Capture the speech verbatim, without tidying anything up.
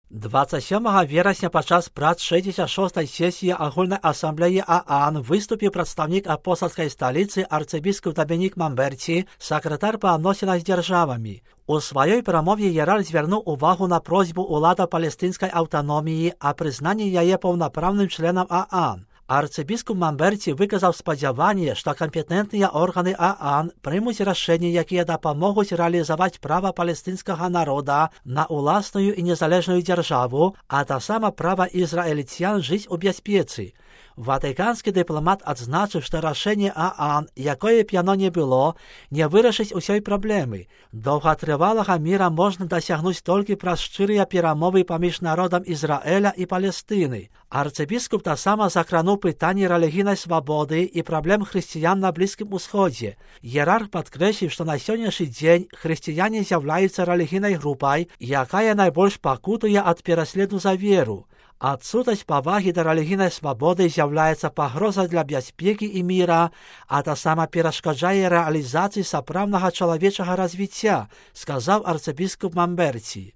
двадцять сьомого вересня падчас прац шестьдесят шостої сесії Агульної асамблеї ААН виступив представник апостольської столиці арцибіскуп Домінік Мамберці, секретар по відносинах з державами. У своїй промові ієрарх звернув увагу на просьбу улади палестинської автономії о признанні її повноправним членом ААН. Арцибіскуп Мамберці виказав сподівання, що компетентні органи ААН приймуть рішення, які допоможуть реалізувати право палестинського народу на власну і незалежну державу, а те саме право ізраїльтян жити у безпеці. Ватиканський дипломат відзначив, що рішення ААН, якої б воно не було, не вирішить усієї проблеми. Довготривалого мира можна досягнути тільки через щирі перемови поміж народом Ізраїля і Палестини. Арцибіскуп та саме закранув питання релігійної свободи і проблем християн на Близькому Сході. Ієрарх підкреслив, що на сьогоднішній день християни з'являються релігійною групою, яка найбільш покутує від пересліду за віру. Відсутність поваги до релігійної свободи з'являється погрозою для безпеки і мира, а та сама перешкоджає реалізації справного чоловічого розвиття, сказав арцибіскуп Мамберці.